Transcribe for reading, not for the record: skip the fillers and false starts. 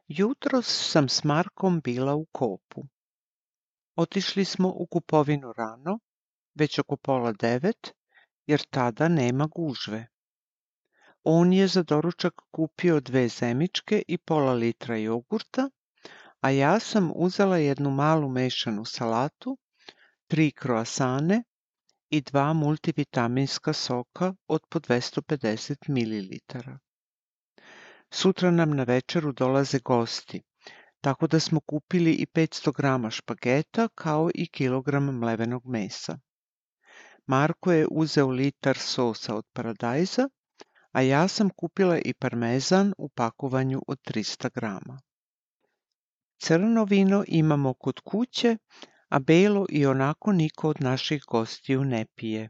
Jutros sam s Markom bila u Kopu. Otišli smo u kupovinu rano, već oko 8:30, jer tada nema gužve. On je za doručak kupio 2 zemičke i pola litra jogurta, a ja sam uzela jednu malu mešanu salatu, 3 kroasane i 2 multivitaminska soka od po 250 ml. Sutra nam na večeru dolaze gosti, tako da smo kupili i 500 grama špageta kao i kilogram mlevenog mesa. Marko je uzeo litar sosa od paradajza, a ja sam kupila i parmezan u pakovanju od 300 grama. Crno vino imamo kod kuće, a belo i onako niko od naših gostiju ne pije.